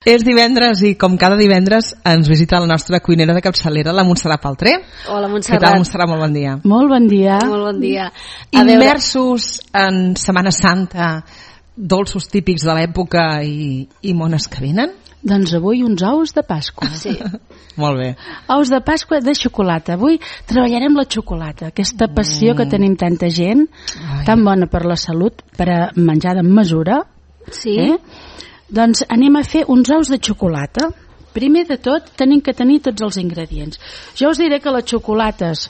És divendres i, com cada divendres, ens visita la nostra cuinera de capçalera, la Montserrat Paltré. Hola, Montserrat. Què tal, Montserrat? Molt bon dia. Molt bon dia. Molt bon dia. Immersos en Setmana Santa, dolços típics de l'època i mones que venen? Doncs avui uns ous de Pasqua. Sí. Molt bé. Ous de Pasqua de xocolata. Avui treballarem la xocolata, aquesta passió que tenim tanta gent, tan bona per la salut, per a menjar de mesura. Sí. Doncs anem a fer uns ous de xocolata. Primer de tot, tenim que tenir tots els ingredients. Jo us diré que les xocolates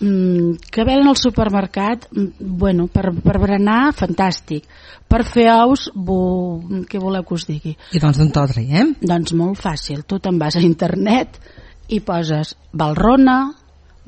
que venen al supermercat, bueno, per berenar, fantàstic. Per fer ous, què voleu que us digui? I doncs d'on te'l traiem? Doncs molt fàcil. Tu te'n vas a internet i poses Valrhona,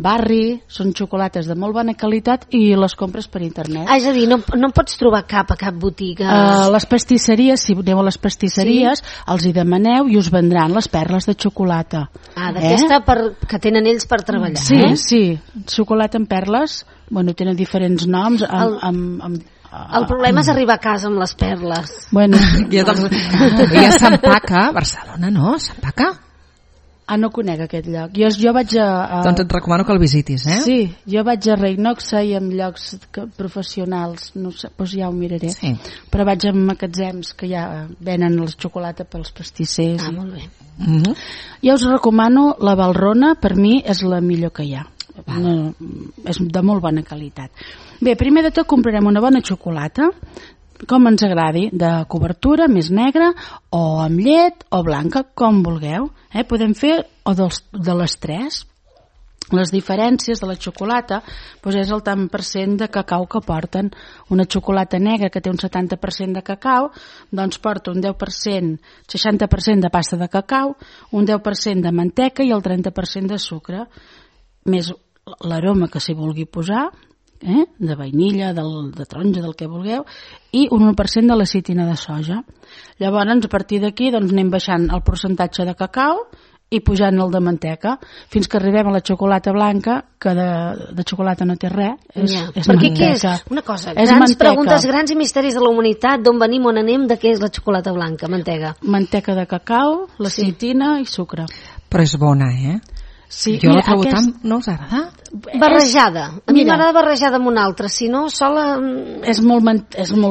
Barri, són xocolates de molt bona qualitat i les compres per internet. És a dir, no en pots trobar a cap botiga? Les pastisseries, si aneu a les pastisseries, els hi demaneu i us vendran les perles de xocolata. D'aquesta que tenen ells per treballar. Sí, sí, xocolata en perles, bueno, tenen diferents noms. El problema és arribar a casa amb les perles. Bueno, ja s'empaca a Barcelona, no? S'empaca? No conec aquest lloc. Jo vaig a... Doncs et recomano que el visitis, eh? Sí, jo vaig a Reinoxa i en llocs professionals, no sé, doncs ja ho miraré. Sí. Però vaig a magatzems que ja venen la xocolata pels pastissers. Molt bé. Jo us recomano la Valrhona, per mi és la millor que hi ha. És de molt bona qualitat. Bé, primer de tot comprarem una bona xocolata, com ens agradi, de cobertura, més negra, o amb llet, o blanca, com vulgueu. Podem fer de les tres. Les diferències de la xocolata és el tant per cent de cacau que porten. Una xocolata negra que té un 70% de cacau, doncs porta un 10%, 60% de pasta de cacau, un 10% de manteca i el 30% de sucre, més l'aroma que s'hi vulgui posar, de vainilla, de taronja, del que vulgueu, i un 1% de lecitina de soja. Llavors, a partir d'aquí, anem baixant el percentatge de cacau i pujant el de manteca, fins que arribem a la xocolata blanca, que de xocolata no té res, és perquè manteca. què és? Una cosa, grans preguntes, grans i misteris de la humanitat, d'on venim, on anem, de què és la xocolata blanca, mantega? Manteca de cacau, lecitina i sucre. Però és bona, eh? Sí, jo la trobo tant... No us agrada? Barrejada. A mi m'agrada barrejada amb una altra, si no, sola... És molt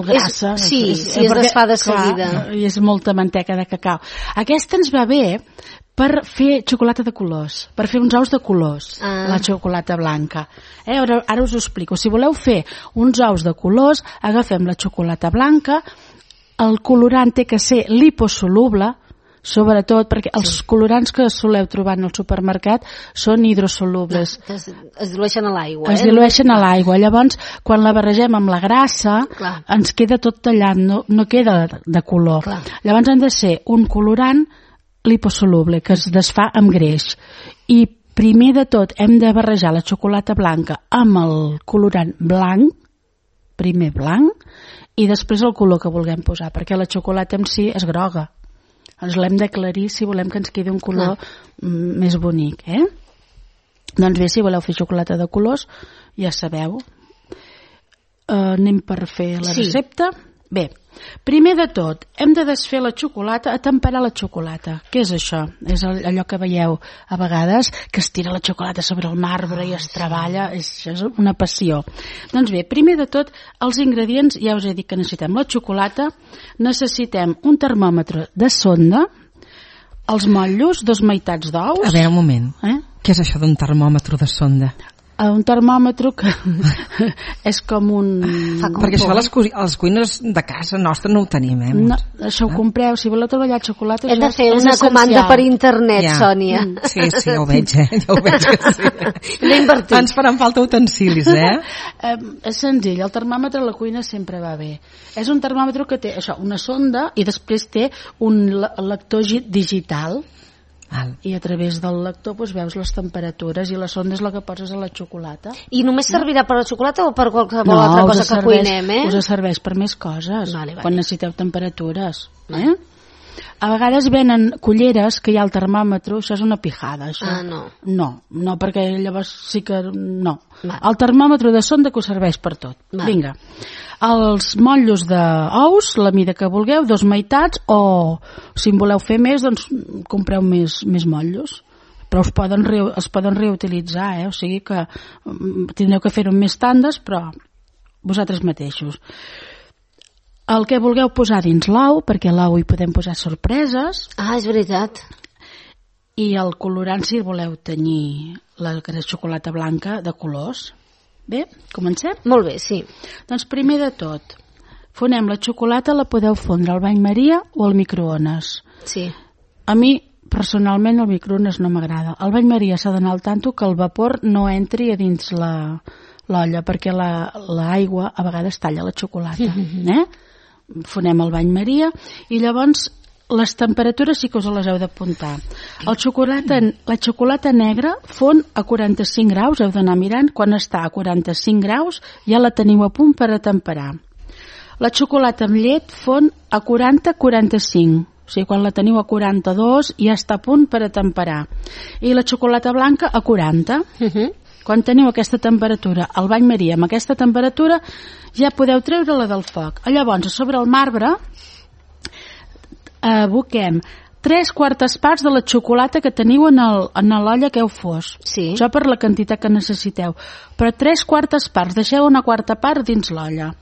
grassa. Sí, es desfà de seguida. I és molta manteca de cacau. Aquesta ens va bé per fer xocolata de colors, per fer uns ous de colors, la xocolata blanca. Ara us ho explico. Si voleu fer uns ous de colors, agafem la xocolata blanca, el colorant té que ser liposoluble, sobretot perquè els colorants que soleu trobar en el supermercat són hidrosolubles. Es dilueixen a l'aigua. Es dilueixen a l'aigua. Llavors, quan la barregem amb la grassa, ens queda tot tallat, no queda de color. Clar. Llavors han de ser un colorant liposoluble, que es desfà amb greix. I primer de tot hem de barrejar la xocolata blanca amb el colorant blanc, primer blanc, i després el color que vulguem posar, perquè la xocolata en si és groga. Ens l'hem d'aclarir si volem que ens quedi un color més bonic, Doncs bé, si voleu fer xocolata de colors, ja sabeu. Anem per fer la recepta. Bé, primer de tot, hem de desfer la xocolata, a temperar la xocolata. Què és això? És allò que veieu a vegades, que es tira la xocolata sobre el marbre i es treballa, és una passió. Doncs bé, primer de tot, els ingredients, ja us he dit que necessitem la xocolata, necessitem un termòmetre de sonda, els motllos, 2 meitats d'ous... A veure, un moment. Què és això d'un termòmetre de sonda? Un termòmetre que és com un... Perquè això les cuines de casa nostra no ho tenim, No, això ho compreu, si voleu treballar xocolata... Hem de fer una comanda per internet, Sònia. Sí, ja ho veig, ja ho veig que sí. No invertim. Ens faran falta utensilis, És senzill, el termòmetre a la cuina sempre va bé. És un termòmetre que té una sonda i després té un lector digital. I a través del lector veus les temperatures i la sonda és la que poses a la xocolata. I només servirà per a la xocolata o per qualsevol altra cosa que cuinem? Us serveix per més coses, quan necessiteu temperatures. A vegades venen culleres que hi ha el termòmetre, això és una pijada. Això. No, perquè llavors sí que no. El termòmetre de sonda que us serveix per tot. Vinga. Els motllos d'ous, la mida que vulgueu, 2 meitats, o si en voleu fer més, doncs compreu més motllos. Però es poden reutilitzar, o sigui que tindreu que fer-ho més tandes, però vosaltres mateixos. El que vulgueu posar dins l'ou, perquè a l'ou hi podem posar sorpreses. És veritat. I el colorant, si voleu tenyir la xocolata blanca de colors. Bé, comencem? Molt bé, sí. Doncs primer de tot, fonem la xocolata, la podeu fondre al bany Maria o al microones. Sí. A mi, personalment, el microones no m'agrada. Al bany Maria s'ha d'anar al tanto que el vapor no entri a dins l'olla, perquè l'aigua a vegades talla la xocolata. Fonem el bany Maria i llavors les temperatures sí que us les heu d'apuntar. La xocolata negra fon a 45 graus, heu d'anar mirant, quan està a 45 graus ja la teniu a punt per a temperar. La xocolata amb llet fon a 40-45, o sigui, quan la teniu a 42 ja està a punt per a temperar. I la xocolata blanca a 40. Quan teniu aquesta temperatura, al bany Maria amb aquesta temperatura, ja podeu treure-la del foc. Llavors, a sobre el marbre aboquem 3/4 parts de la xocolata que teniu en l'olla que heu fos. Sí. Això per la quantitat que necessiteu. Però 3/4 parts, deixeu una quarta part dins l'olla.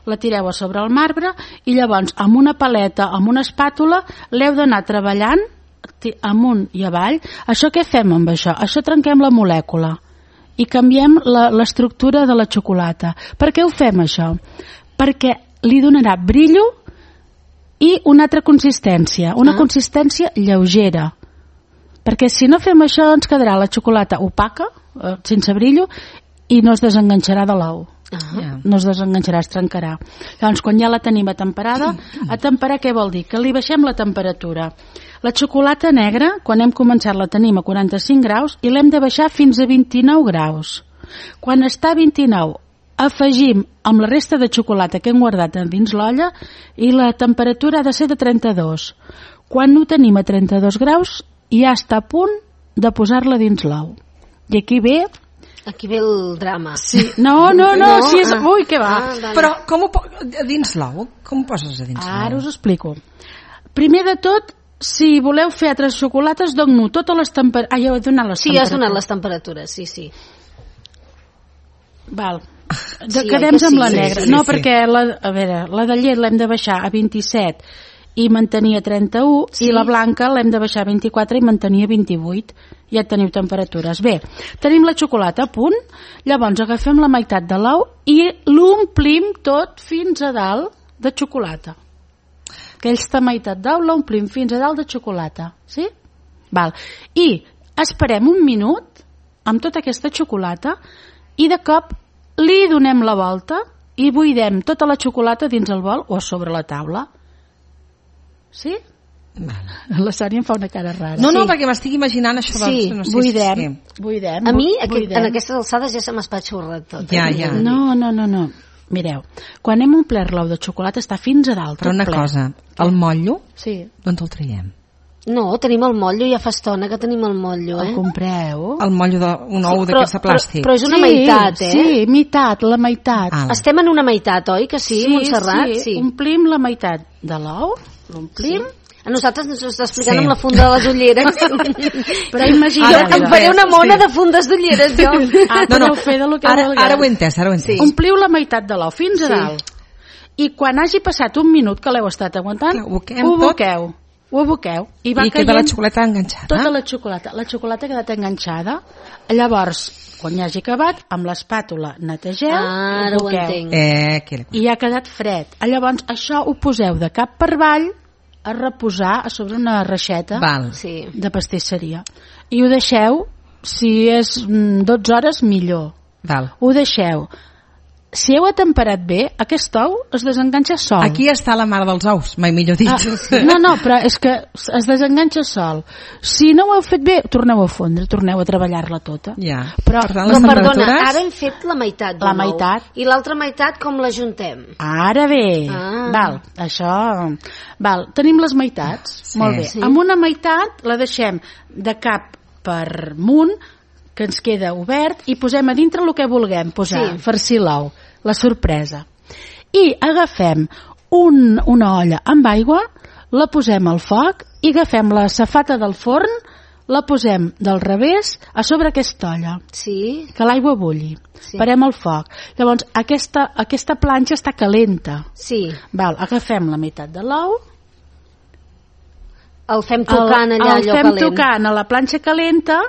La tireu a sobre el marbre i llavors amb una paleta, amb una espàtula, l'heu d'anar treballant amunt i avall. Això què fem amb això? Això trenquem la molècula i canviem l'estructura de la xocolata. Per què ho fem això? Perquè li donarà brillo i una altra consistència, una consistència lleugera. Perquè si no fem això ens quedarà la xocolata opaca, sense brillo, i no es desenganxarà de l'ou. No es desenganxarà, es trencarà. Llavors, quan ja la tenim atemperada, atemperar què vol dir? Que li baixem la temperatura. La xocolata negra, quan hem començat, la tenim a 45 graus i l'hem de baixar fins a 29 graus. Quan està a 29, afegim amb la resta de xocolata que hem guardat dins l'olla i la temperatura ha de ser de 32. Quan ho tenim a 32 graus, ja està a punt de posar-la dins l'ou. I aquí ve el drama. Sí. No, si és... Ui, què va? Però dins l'ou? Com ho poses a dins l'ou? Ara us ho explico. Primer de tot, si voleu fer altres xocolates, dono totes les temperatures... Ja he donat les temperatures. Sí, has donat les temperatures, sí. Val. Quedem amb la negra. No, perquè la de llet l'hem de baixar a 27 i mantenir a 31, i la blanca l'hem de baixar a 24 i mantenir a 28. Ja teniu temperatures. Bé, tenim la xocolata a punt, llavors agafem la meitat de l'ou i l'omplim tot fins a dalt de xocolata. Aquesta meitat d'ou l'omplim fins a dalt de xocolata, sí? Val. I esperem un minut amb tota aquesta xocolata i de cop li donem la volta i buidem tota la xocolata dins el bol o a sobre la taula. Sí? La Sònia em fa una cara rara. No, perquè m'estic imaginant això. Sí, buidem. A mi, en aquestes alçades ja se m'espatxurra tot. Ja. No. Mireu, quan hem omplert l'ou de xocolata està fins a dalt. Però una cosa, el motllo, d'on el traiem? No, tenim el motllo, ja fa estona que tenim el motllo, El compreu? El motllo d'un ou d'aquesta plàstic. Però és una meitat, Sí, la meitat. Estem en una meitat, oi que sí, Montserrat? Sí, omplim la meitat de l'ou, l'omplim. A nosaltres ens ho està explicant amb la funda de les ulleres. Però imagina't. Em faré una mona de fundes d'ulleres, jo. Ara ho he entès. Ompliu la meitat de l'ou fins a dalt. I quan hagi passat un minut que l'heu estat aguantant, ho aboqueu. I queda la xocolata enganxada. Tota la xocolata ha quedat enganxada. Llavors, quan ja hagi acabat, amb l'espàtula netegeu, ara ho entenc. I ha quedat fred. Llavors, això ho poseu de cap per avall a reposar a sobre una reixeta de pastisseria. I ho deixeu, si és 12 hores, millor. Ho deixeu si heu atemperat bé, aquest ou es desenganxa sol. Aquí està la mare dels ous, mai millor dit. No, però és que es desenganxa sol. Si no ho heu fet bé, torneu a fondre, torneu a treballar-la tota. Ja. Però perdona, ara hem fet la meitat d'un la meitat. I l'altra meitat com la juntem? Ara bé, val, això... Val, tenim les meitats, molt bé. Amb una meitat la deixem de cap per munt, que ens queda obert, i posem a dintre el que vulguem posar, farcir l'ou, la sorpresa. I agafem una olla amb aigua, la posem al foc i agafem la safata del forn, la posem del revés a sobre aquesta olla, que l'aigua bulli. Parem el foc. Llavors, aquesta planxa està calenta. Val, agafem la meitat de l'ou, el fem tocant allà, allò calent. El fem tocant a la planxa calenta,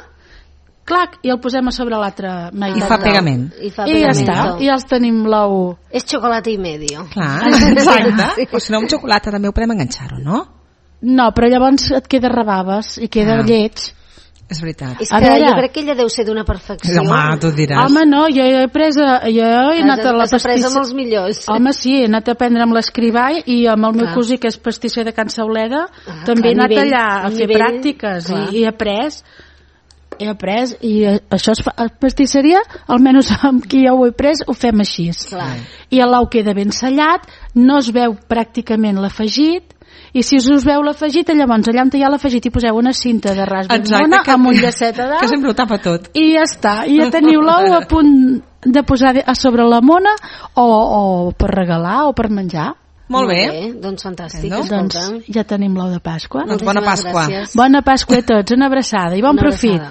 clac, i el posem a sobre l'altra meitat. I fa pegament. I ja està, i ja els tenim l'ou. És xocolata i medio. Clar, exacte. O si no, amb xocolata també ho podem enganxar-ho, no? No, però llavors et queda rebaves i queda lleig. És veritat. És que jo crec que ella deu ser d'una perfecció. Home, tu diràs. Home, no, jo he anat a la pastisseria. Has après amb els millors. Home, sí, he anat a aprendre amb l'escrivà i amb el meu cosí, que és pastisser de Can Sauleda, també he anat allà a fer pràctiques i he après. I això es fa a pastisseria, almenys amb qui jo ho he pres, ho fem així. I l'ou queda ben sellat, no es veu pràcticament l'afegit, i si us veu l'afegit, llavors allà on hi ha l'afegit hi poseu una cinta de ras ben bona amb un llacet a dalt, que sempre ho tapa tot, i ja està, i ja teniu l'ou a punt de posar a sobre la mona o per regalar o per menjar. Molt bé, doncs fantàstic. Doncs ja tenim l'ou de Pasqua. Doncs bona Pasqua. Bona Pasqua a tots, una abraçada i bon profit.